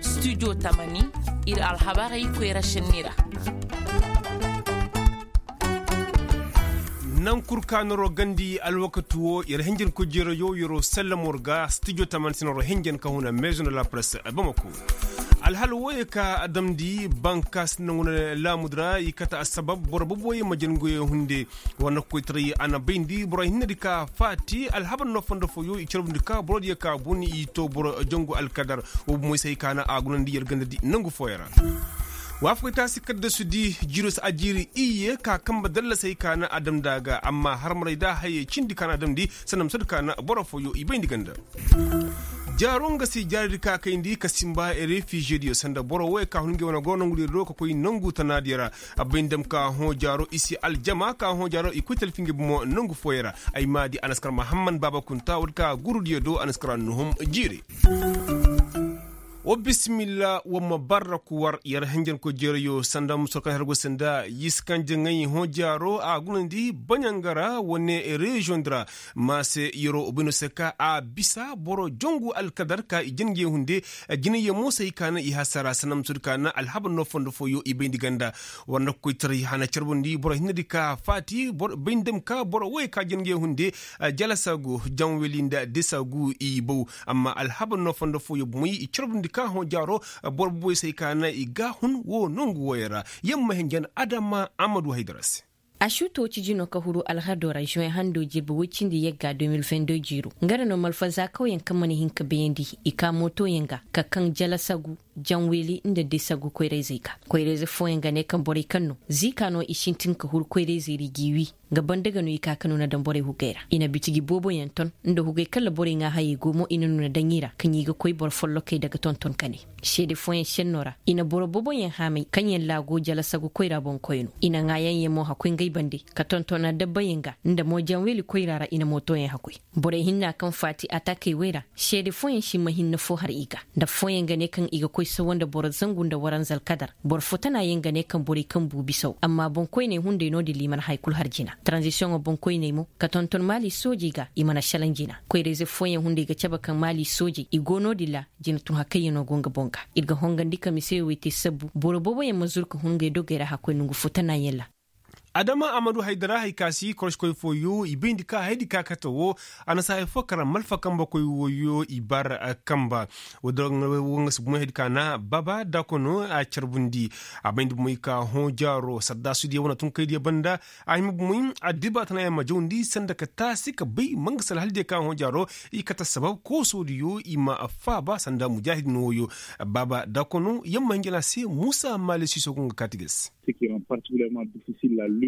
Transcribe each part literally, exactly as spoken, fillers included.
Studio tamani, ir alhabarey koyra šenni ra. Naŋ kul ka noro gandi alwakati wo ir hinjankoy jeerayo yeroo sallamo ra ga studio tamani se noro hinjan ka huna maison de la presse bamako. Alhala wooyey ka a damndi bankaasi naŋ wane laamudi ra i kate assabab boro boboyey ma jangoyey hunde. War na kokoytaray a na bayndi boro hinnedi ka faati alhabar no fondo fooyo i carbundi ka borodiyo ka bun i to boro jangu alkadar. Wo bumoy se hay ka na a gunandi yer gandadi nangu fooyo ra. Waafakay taasi kaddasudi jiiro se a jiiri iyye ka kambe dallasey ka na a damndi a ga amma harmarey da hayey cindi ka na a damndi sanda ma sohõ ka na boro fooyo i bayndi ganda. Jaaro nga se jaaridi ka kayndi ka sinba refizediyo sanda boro wooyey ka hun ngey wane goro nangudiyo do ka koy nangu tanaadiyo ra. A bay nda dam ka hõ jaaro i si aljama ka hõ jaaro i koy talfi ngey bomo nangu fooyey ra. Ay ma di anaskar mahamman baaba kunta woodi ka gurudiyo do anaskar annuhum jiire. Wa bisimilla wa ma barraku war yer hinjankoy jeerayo sanda muso kaŋ har go sanda yisi kaŋ jaŋay hõ jaaro a gunandi baɲanga ra wane reziyoŋ di ra. Ma se yeroo bayno se ka a bisa boro jangu alkadar ka i jin ngey hunde. Jinayyaŋ mo se hay ka na i hasara sanda muso di ka na alhabar no fondo fooyo i bayndi ganda. War na kokoytaray hana carbundi boro hinnedi ka faati bay nda dam ka boro wooyey ka jin ngey hunde. Jalasagu janweli nda desagu i bow. Amma alhabar no fondo fooyo bomoy i carbundi ka hõ jaaro boro boboy se hay ka na i ga hun wo nangu wooyey ra. Yer ma hinjan adama amadu haydara se. Ašuuto ciji no ka huru alhado ra zuwen hando jirbi woy cindi yagga deux mille vingt-deux jiiro nga ra no malfazakawyaŋ kaŋ mana hin ka bayandi i ka mootoyaŋ ga ka kaŋ jalasagu janweeli nda desagu koyrayzey ga. Koyrayze fooyaŋ ga ne kaŋ borey kaŋ no ziika no i sintin ka huru koyrayzey ra i g'i wii. Nga banda ga no i ka ka nuna daŋ borey hugey ra i na bitiji booboyaŋ ton nda hugey kala borey ŋaahayey go mo i na nuna daŋ i ra ka ɲi ga koy boro follokey daga tonton ka ne. Seede fooyaŋ senno ra i na boro boboyaŋ haamay kaŋyaŋ laago jalasagu koyra boŋ koy no i na ŋaayaŋyaŋ mo hakoy ngey bande ka tontona dabbayaŋ ga nda mo janweeli koyra ra i na mootoyaŋ hakoy. Borey hinna kaŋ faati atakey wey ra seede fooyaŋ si ma hinne foo har i ga. Nda fooyaŋ ga ne kaŋ i ga koy sawa nda boro zangu nda waranza alkadar boro fo tana yaŋ ga ne kaŋ borey kaŋ bu bisaw amma boŋkoyney hunday no-din ra i mana haya kul har jina taranzisiyoŋo boŋkoyney mo ka tonton maali soojey ga i mana šelaŋ jina. Koyrayze fooyaŋ hunday ga cabe kaŋ maali soojey i go no-din ra. Jina tun hakayyaŋo go nga boŋ ga ir ga hongandi ka miseyo wey te sabbu boro booboyaŋ ma zuru ka hun ngey dogey ra hakkoy nongu fo tana yaŋ ra. Adama amadu haydara hay ka si koroskoy fooyo i bayndi ka haydi ka kate wo. A na si hay fo kara malfa kambe koy wooyo i bar kamba. Wo nga si bumoy haydi ka na baba dakono a carbundi. A bayndi bumoy ka hõ jaaro sardaasudiyo wane tunkaydiyo banda. A hima bumoy addiba tana yaŋ ma jawndi sanda ka taasi ka bay manga sala haldiyo ka hõ jaaro. I kate sabab koosoodiyo i ma faaba sanda mujaahid no wooyo. Baba dakono yaŋ ma hinjana se muusa maali siiso go nga kaati ga se.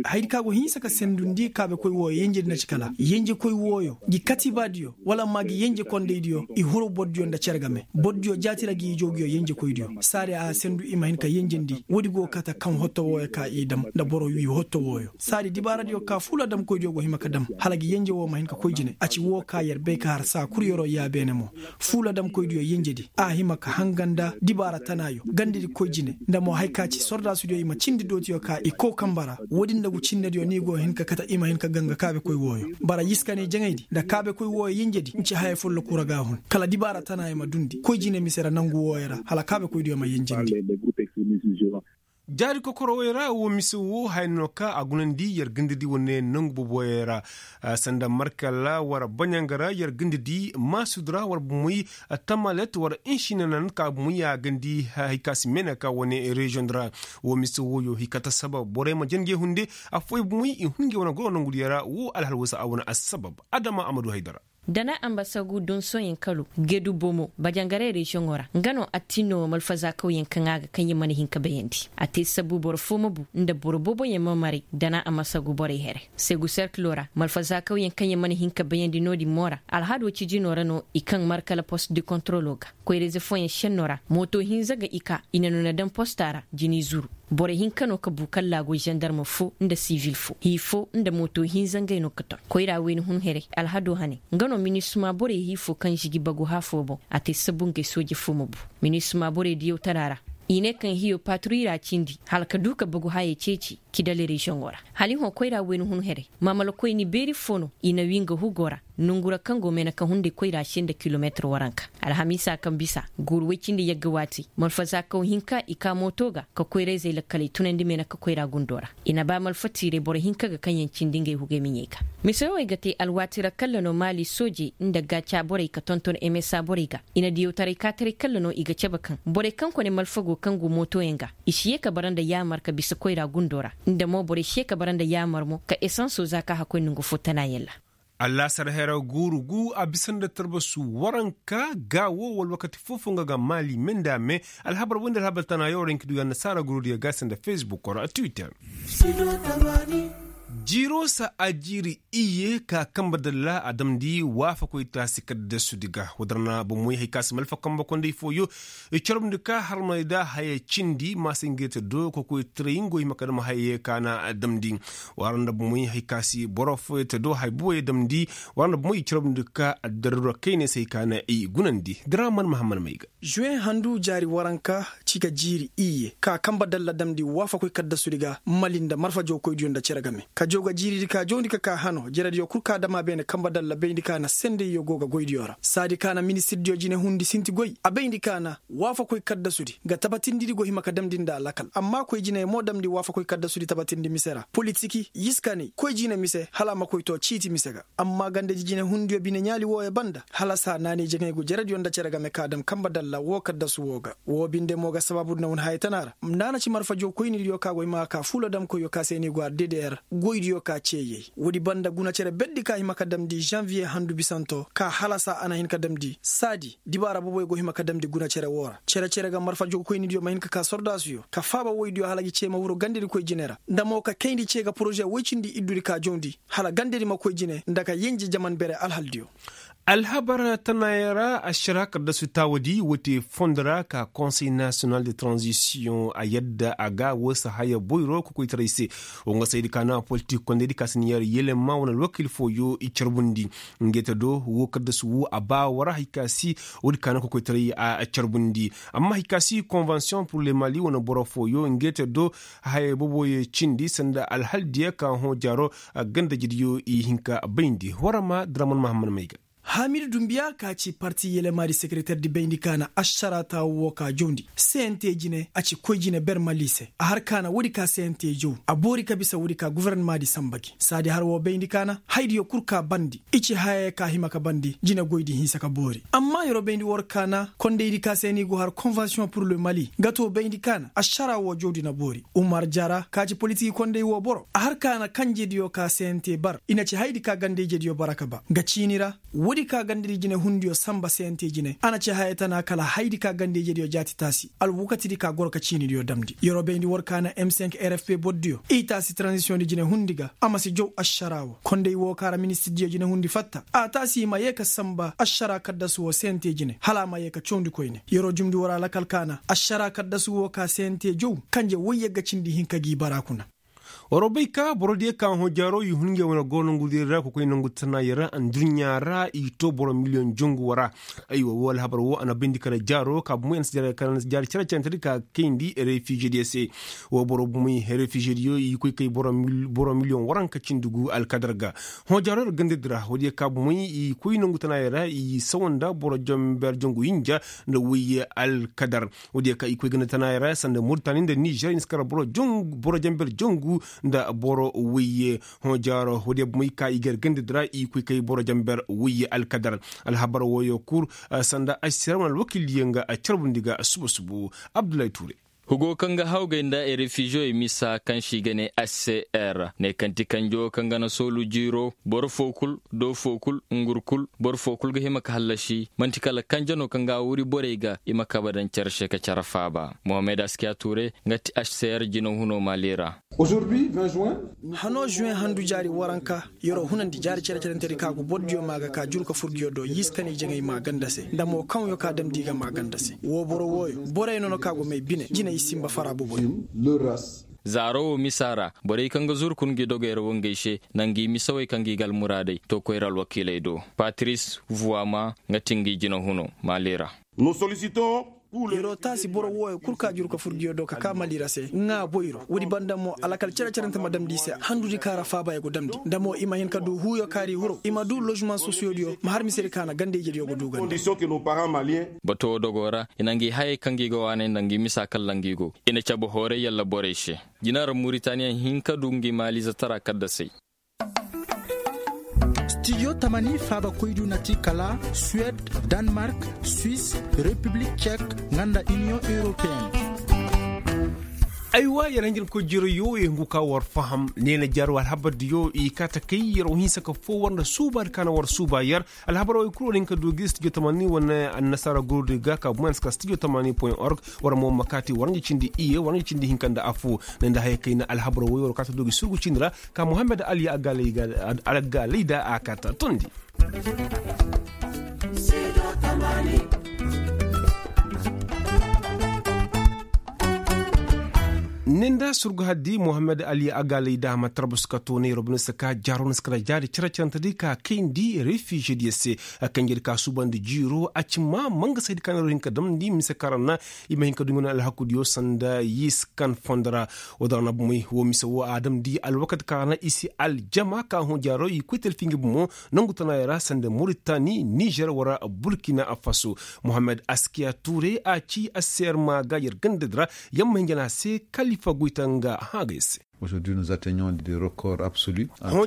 Haydi ka go hinsa ka sendundi kaabekoy wooyo yenjedi na ci kala yenjekoy wooyo gi katibaadiyo wala amma gi yenjekondaydiyo i huru bordiyo nda cere game bordiyo jaati ra gi ijoogiyo yenjekoydiyo saadi a sendu i ma hin ka yenjendi woodi go kate kaŋ hotto wooyo ka i dam nda boro wii hotto wooyo saadi dibaaradiyo ka fuula damkoydiyo go hima ka dam hala gi yenje woo ma hin ka koy jine a ci woo ka yer bay ka har saa kul yeroo yaabeene mo. Fuula damkoydiyo yenjedi a hima ka hanga nda dibaara tanaayo gandedi koy jine nda mo haya ka ci sordaasudiyo i ma cindi dootiyo ka i kow kamba ra. Woodin nda ngu cinnediyo ni go hin ka kate i ma hin ka ganga kaabekoy wooyo bara yiska ne jaŋaydi nda kaabekoy wooyo yenjedi nci haya folloku ra ga a hun kala dibaara tanaayo ma dundi koy jine mise ra nangu wooyo ra hala kaabekoydiyo ma yenjindi. Jaari kokorowey ra woo mise woo haya no ka a gunandi yer gandadi wane nangu boboyey ra. Sanda markala war baɲanga ra yer gandadi maasudi ra war bumoy tamalet war inšinanan ka bumoy a gandi. Hay ka si meene ka wane reziyoŋ di ra woo mise wooyo hay ka ta sabab borey ma jangey hunde. Affooyaŋ bumoy i hun ngey wane goro nongudiyo ra woo alhal woo se a wane assabab adama amadu haydara. Dana ambasagu donsoyaŋ kalo gedu bomo bajangaray reziyoŋo ra nga no attinno malfazaakawyaŋ kaŋ a ga kaŋ ya mana hin ka bayandi a te sabbu boro fo ma bu nda boro booboyaŋ ma maray dana ambasagu borey here. Segu serkilo ra malfazaakawyaŋ kaŋ ya mana hin ka bayandi no-din mo ra alhado cijino ra no i kaŋ markala post de kontrolo ga koyrayze fooyaŋ senno ra mooto hinza ga i ka i na nuna daŋ posta ra jini zuru. Boro hinka no ka bu kala laago zandarma fo nda sivil fo hii fo nda mooto hinza ngey no ka ton koyra wayna hun here alhado hane nga no minisma borey hii fo kaŋ žigi bagu haa fo boŋ a te sabu ngey sooje fo ma bu. Minisma borey diyaw tara ra i ne kaŋ hiyo patruy ra cindi hala ka du ka bagu haayey ceeci. Kidali reziyoŋo ra, hala i hõ koyra wayna hun haray, maamalakoyni beeri fo no i na wii nga hugo ra. Nongu ra kaŋ go meene ka hunday koyra se nda kilomeetir waranka. Alhamiisa kaŋ bisa, guuru woy cindi yagga waati, malfa zaakaw hinka i ka mooto ga ka koyra-izey lakkaley tunandi meene ka koyra gundo ra. I na ba malfa tiiray boro hinka ga kaŋ yaŋ cindi ngey hugey miɲey ga. Mise wowey ga te alwaati ra kalla no maali soojey nda gaaca borey ka tonton emesa borey ga. I na diyawtaray kaataray kalla no i ga cabe kaŋ borey kaŋ kone malfa go kaŋ go mootoyaŋ ga, i si ye ka bara nda yaamar ka bisa koyra gundo ra. Nda mo borey si ye ka bara nda yaamar mo ka esanso za ka hakkoy nongu fo tana yalla. Allaasar hera guuru gu a bisa nda tarbasu waranka, gaawo wala wakati foo-foo nga ga maali me nda me. Alhabar woy nda alhabar tana yaŋ wara hinka du ga annasaara gurudiyo ga se nda fesbuk wala twitter. Jiiro sa a jiiri iyye ka kambe dalla a damndi waafakoy taasi kaddasudi ga. Woo din ra bomoy hari ka si malfa kambe kondey fooyo i carbundi ka harmay nda haya cindi maasa ngey te do kokoytaray ngo hima ka dam hayey ka na damndi. Wara nda bomoy hari ka si boro fooyo te do haya boboyo damndi. Wara nda bomoy i carbundi ka addarura kayne se hari ka na i gunandi. Diraman mahamman may ga. Zuwe handu jaari waranka ci ga jiiri iyye ka kambe dalla damndi waafakoy kaddasudi ga mali nda marfa jawkoydiyo nda cere game ka jaw ga jiiridi ka jawndi ka ka hano jerediyo kul ka dam a beene kambe dalla bayndi ka na sendeyyo go ga goydiyo ra saadi ka na ministirdiyo jinehundi sinti goy a bayndi ka na waafakoy kaddasudi ga tabatindidi go hima ka damndi nda alakal amma koy jiney mo damndi waafakoy kaddasudi tabatindi mise ra politik yiskaney koy jine mise hala a ma koy to ciiti mise ga. Amma gandadi jinehundiyo bineɲaali wooyo banda hala saa naanay jaŋay go jerediyo nda cere game ka dam kambe dalla woo kaddasu woo ga. Woo binde mo ga sabaabu nda wane haya tana ra nda a na ci marfa jawkoynidiyo ka go hima ka kaa fuula damkoyyo ka se ni go a ddr goydiyo ka ceeyey woodi banda guna cere berdi ka hima ka damndi zanviye handu bisanto ka hala saa a na hin ka damndi saadi dibaara boboyo go hima ka damndi guna cere woo ra cere-cere ga marfa jawkoynidiyo ma hin ka kaa sordaasuyo ka faaba woydiyo hala gi cee ma wuro gandadikoy jine ra nda mo ka kayndi cee ga poroze woy cindi iddudi ka jawndi hala gandadi ma koy jine nda ka yenje jaman bere alhaldiyo. Alhabar tanayaŋ ra ašara kaddasu taawadi woo te fondo ra ka konsey nasiyonal de tranzisiyoŋ a yadda a ga woo si haya boyro kokoytaray se. Woo nga saydi ka na politik kondaydi ka si ni yar yelema wane alwakiil fooyo i carbundi. Ngey te do woo kaddasu woo a ba war hari ka si woodi ka na kokoytaray a carbundi. Amma hari ka si konvansiyoŋ pur le mali wane boro fooyo ngey te do haya booboyo cindi sanda alhaldiyo ka hõ jaaro. Gandajediyo i hin ka bayndi war ma draman mahammad may ga. Haamidu dumbiya ka ci parti yelemaadi sekereterdi bayndi ka na ašara taawu woo ka jawndi cnt jine a ci koy jine ber mali se a har ka na woodi ka cnt jaw a boori ka bisa woodi ka gofornamaadi sanba gi saadi har woo bayndi ka na hayadiyo kul ka bandi i ci hayey ka hima ka bandi jinegoydi hinsa ka boori amma yeroo bayndi war ka na kondaydi ka se ni go har konvansiyoŋ pur le mali nga too bayndi ka na ašara woo jawndi na boori umar jara ka ci politiki konday woo boro a har ka na kanjediyo ka cnt bar i na ci hayadi ka ganda-ijediyo bara ka ba nga ciini ra woodi ka gandadi jinehundiyo sanba cnt jine a na ci haya tana kala hayadi ka ganda-ijediyo jaati taasi alwakatidi ka goro ka ciinidiyo damndi yeroo bayndi war ka na m cinq rfp bordiyo i taasi taranzisiyoŋdi jinehundi ga a ma si jaw ašara woo konday woo ka ra ministirdiyo jinehundi fatta a taasi i ma yee ka sanba ašara kaddasu woo cnt jine hala a ma yee ka cawndi koyne yeroo jumndi war alakal ka na ašara kaddasu woo ka cnt jaw kanje woy yagga cindi hinka g'i bara kuna. Waroo bay ka borodiyo ka hõ jaaroo i hun ngey wane goro nongudiyo ra ka koy nongu tanaayey ra adduɲɲa ra i too boro miliyoŋ jongu woo ra. Aywa woo alhabar woo a na bayndi kala jaaroo ka bomey a na si jaari cere-cerentedi ka kayndi refizediyo se. Woo boro bomey refizediyo i koy kay boro miliyoŋ waranka cindi gu alkadar ga. Hõ jaaroo ra gandadi ra woodiyo ka bomey i koy nongu tanaayey ra i sawa nda boro jamber jongu hinja nda woy alkadar. Woodiyo ka i koy ganda tanaayey ra sanda muritani nda nizer i na si kar boro janber jangu nda boro woyye. Hõ jaaro woodiyo bomey ka i gar gandadi ra i koy kay boro janber woyye alkadar. Alhabar wooyo kul sanda ašsera wane alwakiildiyo nga carbundi ga suba subu. Abdullahi ture. Hugo kaŋ ga hawgay nda refiziyoy misa kaŋ se i ga ne hcr ne kaŋ ti kanjo kaŋ ga na soolu jiiro boro foo kul doo foo kul ngur kul boro foo kul ga hima ka hallasi man'ti kala kanje no kaŋ ga a wuri borey ga i ma kabe daŋ care se ka care faaba. Mohammed askiya tuure nga ti hcr jinahuno maali ra. Hano zuwe handu jaari waranka yer'o hunandi jaari cere-cerentedi ka go bordiyo maa ga ka juru ka fur nguyo do yiiskanay jaŋay maa ganda se nda mo kaŋyo ka damndi i ga maa ganda se woo boro wooyo borey no no ka go may bine jinay sinba fara boboyo. Zaaro wo misa ra borey kaŋ ga zuru kun ngi dogey ra wo ngey se nda ngi misawey kaŋ ngi ga almuraadey to koyra alwakiiley do. Patris vuwama nga ti ngi jinahuno maali ra. Nos solisitons. Yer'o taasi boro wooyo kul ka juru ka fur ngiyo do ka kaa mali ra se ŋaa boyro woodi banda mo alakal cere-cerente ma damndi i se handudi ka ra faaba ya go damndi nda mo i ma hin ka du huuyo kaari huro i ma du lozman sosiyodiyo ma har misedi ka na ganda ijediyo go du ganda. Bato woo dogo ra i na ngi hayey kaŋ gi go waanay nda ngi misa kalla ngi go i na cabe hooray yalla borey se. Jina ra muritaniya hin ka du ngi maaliize tara kaddasey. Stijo tamani faabakoydu na ti kala suwed, danmark, swis, repiblik cek, nga nda iniyoŋ europeen. Aywa yer hanjir ma koy jiro yo ye hungu ka war faham neena jaaro alhabardiyo i kaa ta kay yer wo hinsa ka foo war nda suubaadi ka na war suuba yer. Alhabar wo i kul war hin ka du gi stijo tamani wane annasaara gurudi ga ka bumayaŋ si ka stijo tamani point org. War mo ma kaati war nga cindi iye war nga cindi hinka nda affoo. Ne nda haya kay na alhabar wo i war kaa ta du gi surgu cindi ra. Ka muhammad ali agaalay da a kaa ta tondi. Ni nda surgu haddi muhammad ali agaalay da a ma tarbus ka toonay robinista ka jaaro na si kala jaari cere-cerente di ka kayndi refiije diyo se. Kanjedi ka suubandi jiiro a ci ma mangasaydi ka na ro hin ka damndi mise kaŋ ra na i ma hin ka du nga na alhakudiyo sanda yiskan fondo ra. Woo da ra na bomey woo mise woo a damndi alwakati kaŋ ra na i si aljama ka hõ jaaro i koy talfi nga bomo. Nongu tanaayey ra sanda muritani nizer wara burkina faso. Muhammad askiya tuure a ci a se yer ma ga yer gandadi ra. Yer ma hin jana se kalifa goyta nga hã ga yer se. Hõ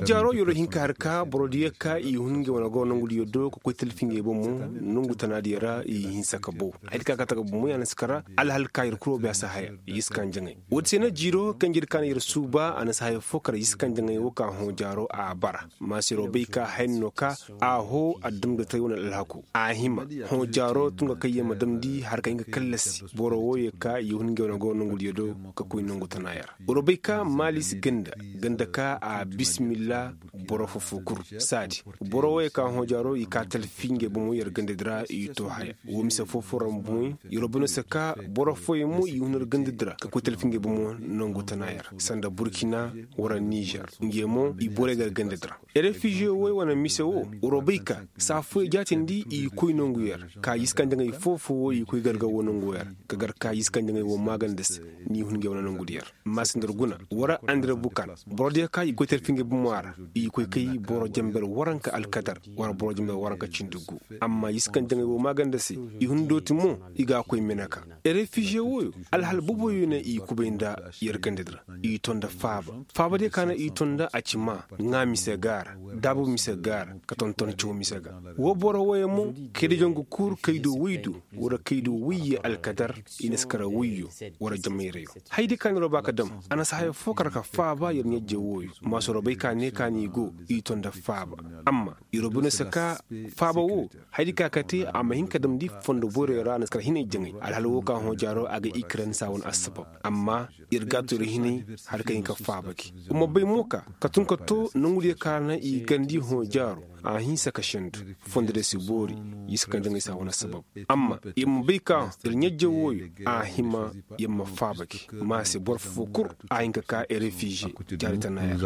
jaaro yer wo hin ka har ka borodiyo ka i hun ngey wane goro nongudiyo do ka koy talfi ngey bomo. Nongu tanaadiyo ra i hinsa ka bow. Haydi ka ka ta ga bomo ya na si kara alhal ka yer kul wo bay a si haya. Yiskan jaŋay woodi se na jiiro kanjedi ka na yer suuba a na si haya foo kara yiskan jaŋay wo ka hõ jaaro a bara. Maasiroo bay ka hayni no ka a hoo a dam ga tay wane alhaku a hima. Hõ jaaro tun ga kay yer ma damndi har ka hin ga kallasi boro wooyey ka i hun ngey wane goro nongudiyo do ka koy nongu tanaaya ra. War bay ka maalis ganda ganda ka a bismillah. Boro foo foo kul saadi boro wooyey ka hõ jaaro i ka talfi ngey bomo yer gandadi ra i too haya. Woo mise foo foo ra mo bomoy yer wo bay no se ka boro fooyey mo i hun yer gandadi ra ka koy talfi ngey bomo nongu tanaaya ra sanda burkina wara nizer. Ngey mo i borey gar gandadi ra. Refize wooyey wane mise woo war wo bay ka saa fooyey jaatindi i koy nongu yer ka yiskanjaŋey foo foo woo i koy garga woo nongu yer ka gar ka yiskanjaŋey woo maaganda se. Ni hun ngey wane nongu di yer. Maasindar guna wara andira bukan borodiyo ka i koy talfi ngey bomo a ra i koy kay boro jenber waranka alkadar wara boro jenber waranka cindi gu. Amma yiskanjaŋey woo maaganda se i hun dooti mo i ga a koy meneka. Refize wooyo alhal boboyo na i kubay nda yer gandadi ra. I to nda faaba faabadiyo ka na i to nda a ci maa ŋaa mise ga a ra daabu mise ga a ra ka tonton caw mise ga. Woo boro wooyo mo kaydiyo nga kuur kaydo woy do wara kaydo woyye alkadar i na si kara woyyo wara jamayrayoo. Hayadiyo ka na yer wo ba ka dam a na si haya foo kara ka faaba yer ɲajje wooyo maasiroo bay ka ne ka ni go i to nda faaba. Amma yer wo bay no se ka faaba woo hayadiyo ka ka te a ma hin ka damndi fondo boyroyo ra a na si kara hinay jaŋay alhala woo ka hõ jaaroo a ga ikiren saa wane assabab. Amma yer ga a to yer hinay hala ka hin ka faaba gi. Wa ma bay mo ka ka tun ka to nongudiyo ka na i garndi hõ jaaroo a hinsa ka sendu. Fondo diyo si boori. Yiskanjaŋey saa wane assabab. Amma yer ma bay ka yer ɲajje wooyo a hima yer ma faaba gi. Ma se boro foo kul a hin ka ka refize jaari tanaaya.